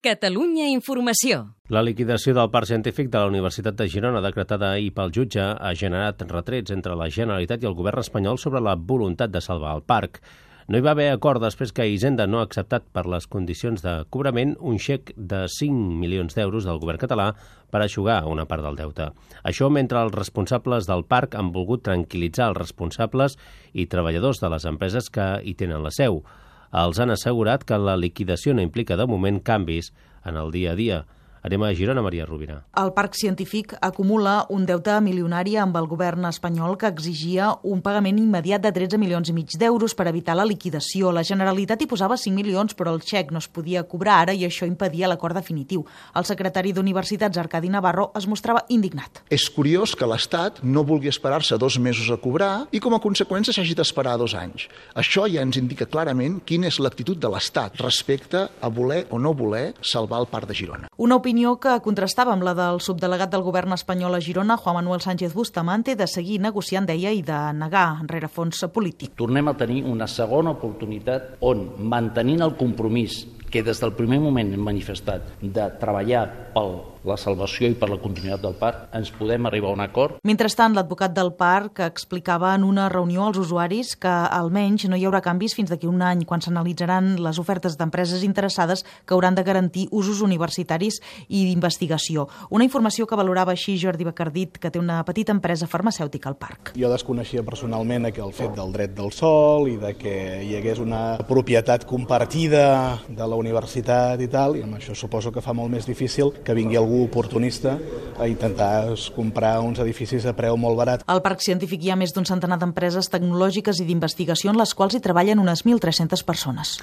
Catalunya Informació. La liquidació del Parc Científic de la Universitat de Girona, decretada ahir pel jutge, ha generat retrets entre la Generalitat i el govern espanyol sobre la voluntat de salvar el parc. No hi va haver acord després que Hisenda no ha acceptat per les condicions de cobrament un xec de 5 milions d'euros del govern català per eixugar una part del deute. Això mentre els responsables del parc han volgut tranquil·litzar els responsables i treballadors de les empreses que hi tenen la seu. Els han assegurat que la liquidació no implica de moment canvis en el dia a dia. Anem a Girona, Maria Rovira. El Parc Científic acumula un deute milionari amb el govern espanyol que exigia un pagament immediat de 13 milions i mig d'euros per evitar la liquidació. La Generalitat hi posava 5 milions, però el xec no es podia cobrar ara i això impedia l'acord definitiu. El secretari d'Universitats, Arcadi Navarro, es mostrava indignat. És curiós que l'Estat no vulgui esperar-se 2 mesos a cobrar i com a conseqüència s'hagi d'esperar 2 anys. Això ja ens indica clarament quina és l'actitud de l'Estat respecte a voler o no voler salvar el Parc de Girona. Una opinió que contrastava amb la del subdelegat del govern espanyol a Girona, Juan Manuel Sánchez Bustamante, de seguir negociant, deia, i de negar rerefons polític. Tornem a tenir una segona oportunitat on, mantenint el compromís que des del primer moment hem manifestat de treballar per la salvació i per la continuïtat del parc, ens podem arribar a un acord. Mentrestant, l'advocat del parc explicava en una reunió als usuaris que almenys no hi haurà canvis fins d'aquí un any, quan s'analitzaran les ofertes d'empreses interessades que hauran de garantir usos universitaris i d'investigació. Una informació que valorava així Jordi Bacardit, que té una petita empresa farmacèutica al parc. Jo desconeixia personalment el fet del dret del sòl i de que hi hagués una propietat compartida de la universitat i tal, i amb això suposo que fa molt més difícil que vingui algú oportunista a intentar comprar uns edificis a preu molt barat. Al Parc Científic hi ha més d'un centenar d'empreses tecnològiques i d'investigació en les quals hi treballen unes 1.300 persones.